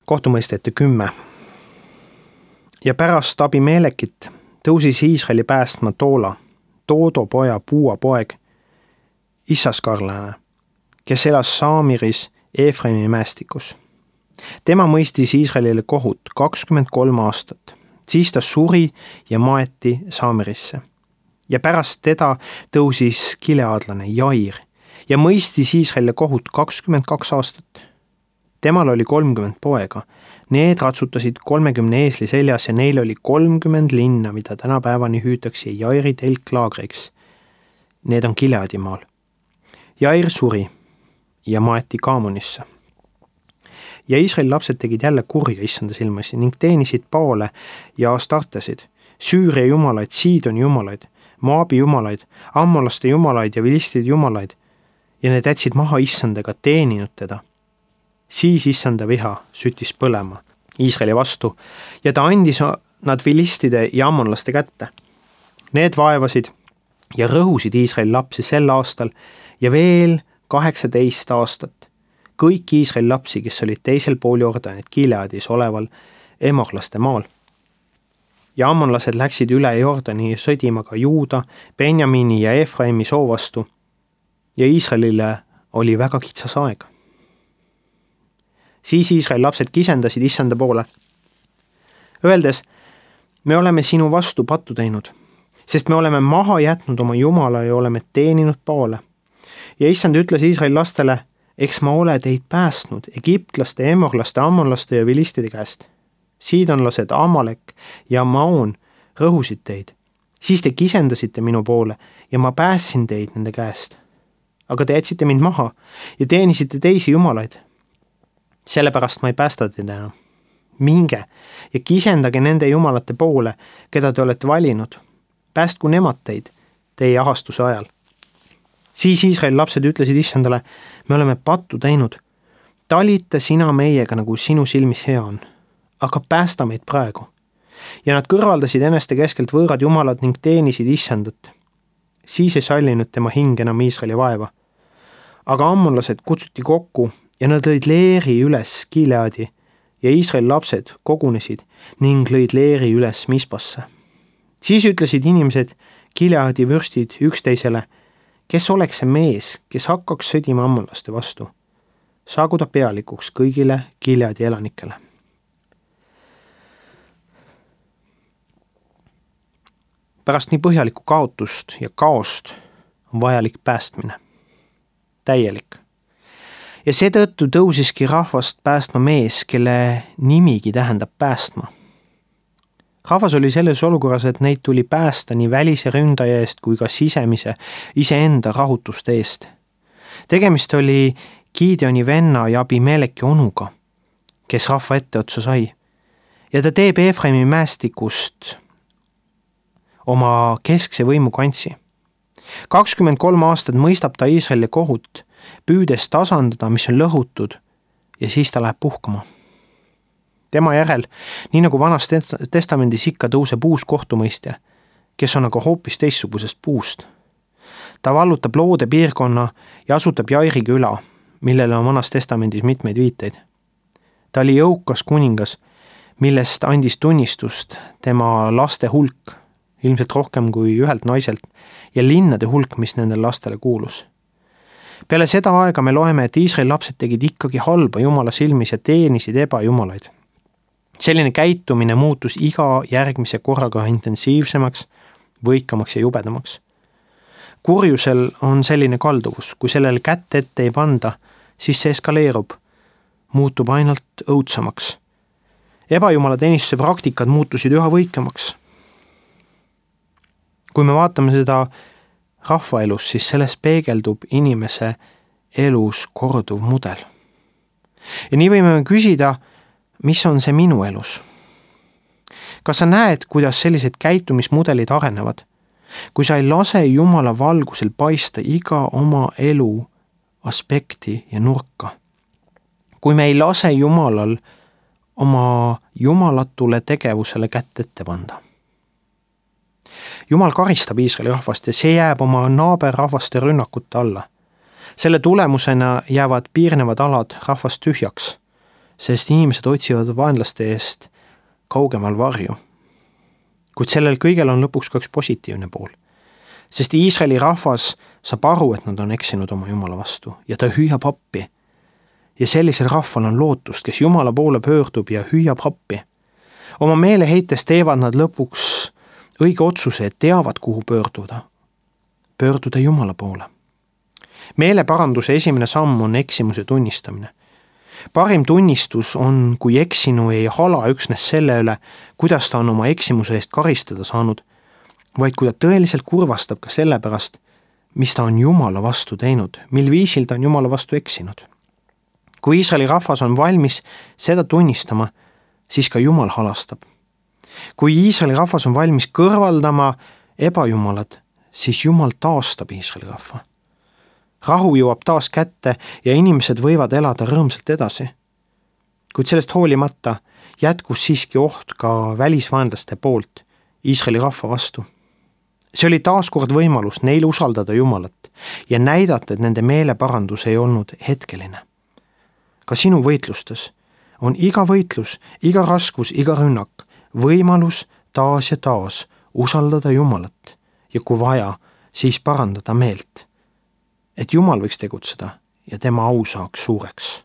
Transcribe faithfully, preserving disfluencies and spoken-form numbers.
kohtumõisteti kümme. Ja pärast Abimelekit tõusis Iisraeli päästma Toola, Toodo poja Puua poeg, Issaskarlane, kes elas Saamiris Eefraimi mäestikus. Tema mõistis Iisraelile kohut kakskümmend kolm aastat, siis ta suri ja maeti Saamirisse. Ja pärast teda tõusis gileadlane Jair ja mõistis Iisraelile kohut kakskümmend kaks aastat. Temal oli kolmkümmend poega, need ratsutasid kolmekümne eesli seljas ja neil oli kolmkümmend linna, mida tänapäevani hüütakse Jairi telklaagriks. Need on Gileadimaal. Jair suri ja maeti Kaamonisse. Ja Iisraeli lapsed tegid jälle kurja issanda silmasi ning teenisid Baale ja Astartesid, Süüria jumalaid, Siidoni jumalaid, Moabi jumalaid, ammolaste jumalaid ja vilistide jumalaid ja need jätsid maha issandaga teeninud teda. Siis issanda viha süttis põlema Iisraeli vastu ja ta andis nad vilistide ja ammonlaste kätte. Need vaevasid ja rõhusid Iisraeli lapsi sel aastal ja veel kaheksateist aastat. Kõik Iisraeli lapsi, kes olid teisel pool Jordanit Gileadis oleval emorlaste maal. Ja ammonlased läksid üle Jordani sõdima ka Juuda, Benjamini ja Efraimi soo vastu ja Iisraelile oli väga kitsas aeg. Siis Iisraeli lapsed kisendasid issanda poole, öeldes, me oleme sinu vastu pattu teinud, sest me oleme maha jätnud oma jumala ja oleme teeninud Baale. Ja issand ütles Iisraeli lastele, eks ma ole teid päästnud egiptlaste, emorlaste, ammonlaste ja vilistide käest. Siidonlased, Amalek ja Maon rõhusid teid. Siis te kisendasite minu poole ja ma päässin teid nende käest. Aga te jätsite mind maha ja teenisite teisi jumalaid. Sellepärast ma ei päästa teid enam. Minge ja kisendage nende jumalate poole, keda te olete valinud. Päästku nemad teid teie ahastuse ajal. Siis Iisraeli lapsed ütlesid issandale, me oleme pattu teinud. Talita sina meiega, nagu sinu silmis hea on, aga päästa meid praegu. Ja nad kõrvaldasid eneste keskelt võõrad jumalad ning teenisid issandat. Siis ei sallinud tema hing enam Iisraeli vaeva. Aga ammonlased kutsuti kokku ja nad lõid leeri üles Gileadi ja Iisraeli lapsed kogunesid ning lõid leeri üles Mispasse. Siis ütlesid inimesed, Gileadi vürstid üksteisele, kes oleks see mees, kes hakkaks sõdima ammonlaste vastu, saagu ta pealikuks kõigile Gileadi elanikele. Pärast nii põhjalikku kaotust ja kaost on vajalik päästmine. Täielik. Ja seetõttu tõusiski rahvast päästma mees, kelle nimigi tähendab päästma. Rahvas oli selles olukorras, et neid tuli päästa nii välise ründaja eest kui ka sisemise iseenda rahutuste eest. Tegemist oli Gideoni venna ja Abimeleki onuga, kes rahva etteotsa sai. Ja ta teeb Efraimi mäestikust oma keskse võimu kantsi. kakskümmend kolm aastat mõistab ta Iisraeli kohut, püüdes tasandada, mis on lõhutud, ja siis ta läheb puhkama. Tema järel, nii nagu vanas testamendis ikka tõuseb uus kohtumõistja, kes on aga hoopis teistsugusest puust. Ta vallutab loode piirkonna ja asutab Jairi küla, millele on vanas testamendis mitmeid viiteid. Ta oli jõukas kuningas, millest andis tunnistust tema laste hulk, ilmselt rohkem kui ühelt naiselt, ja linnade hulk, mis nendel lastele kuulus. Peale seda aega me loeme, et Iisraeli lapsed tegid ikkagi halba Jumala silmis ja teenisid ebajumalaid. Selline käitumine muutus iga järgmise korraga intensiivsemaks, võikamaks ja jubedamaks. Kurjusel on selline kalduvus, kui sellele kätte ette ei panda, siis see eskaleerub, muutub ainult õudsamaks. Ebajumala teenistuse praktikad muutusid üha võikamaks. Kui me vaatame seda rahvaelus, siis selles peegeldub inimese elus korduv mudel. Ja nii võime küsida, mis on see minu elus? Kas sa näed, kuidas sellised käitumismudelid arenevad? Kui sa ei lase Jumala valgusel paista iga oma elu aspekti ja nurka. Kui me ei lase Jumalal oma jumalatule tegevusele kätt ette panda. Jumal karistab Iisraeli rahvast ja see jääb oma naaberrahvaste rünnakute alla. Selle tulemusena jäävad piirnevad alad rahvast tühjaks. sest inimesed otsivad vaenlaste eest kaugemal varju. Kuid sellel kõigel on lõpuks ka üks positiivne pool, sest Iisraeli rahvas saab aru, et nad on eksinud oma Jumala vastu ja ta hüüab appi. Ja sellisel rahval on lootust, kes Jumala poole pöördub ja hüüab appi. Oma meeleheites teevad nad lõpuks õige otsuse, et teavad, kuhu pöörduda. Pöörduda Jumala poole. Meeleparanduse esimene samm on eksimuse tunnistamine. Parim tunnistus on, kui eksinu ei hala üksnes selle üle, kuidas ta on oma eksimuse eest karistada saanud, vaid kui ta tõeliselt kurvastab ka selle pärast, mis ta on Jumala vastu teinud, mil viisil ta on Jumala vastu eksinud. Kui Iisraeli rahvas on valmis seda tunnistama, siis ka Jumal halastab. Kui Iisraeli rahvas on valmis kõrvaldama ebajumalad, siis Jumal taastab Iisraeli rahva. Rahu jõuab taas kätte ja inimesed võivad elada rõõmsalt edasi. Kuid sellest hoolimata jätkus siiski oht ka välisvaenlaste poolt Iisraeli rahva vastu. See oli taaskord võimalus neil usaldada Jumalat ja näidata, et nende meeleparandus ei olnud hetkeline. Ka sinu võitlustes on iga võitlus, iga raskus, iga rünnak võimalus taas ja taas usaldada Jumalat ja kui vaja, siis parandada meelt, et Jumal võiks tegutseda ja tema au saaks suureks.